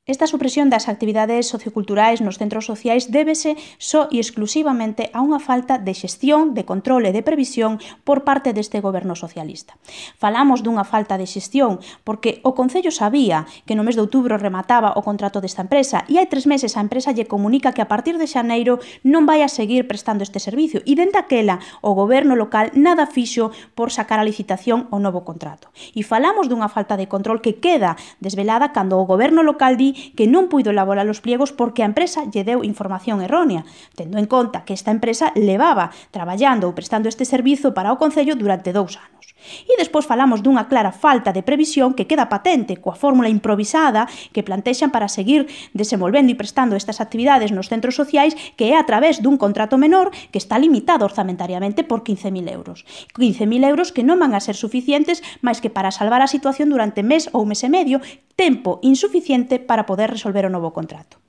Esta supresión das actividades socioculturais nos centros sociais débese só e exclusivamente a unha falta de xestión, de control e de previsión por parte deste goberno socialista. Falamos dunha falta de xestión porque o Concello sabía que no mes de outubro remataba o contrato desta empresa e hai 3 meses a empresa lle comunica que a partir de xaneiro non vai a seguir prestando este servicio e dende aquela o goberno local nada fixo por sacar a licitación o novo contrato. E falamos dunha falta de control que queda desvelada cando o goberno local di que non puido elaborar os pliegos porque a empresa lle deu información errónea, tendo en conta que esta empresa levaba traballando ou prestando este servizo para o Concello durante 2 anos. E despois falamos dunha clara falta de previsión que queda patente coa fórmula improvisada que plantexan para seguir desenvolvendo e prestando estas actividades nos centros sociais, que é a través dun contrato menor que está limitado orzamentariamente por 15.000 euros. 15.000 euros que non van a ser suficientes máis que para salvar a situación durante mes ou mes e medio, tempo insuficiente para poder resolver o novo contrato.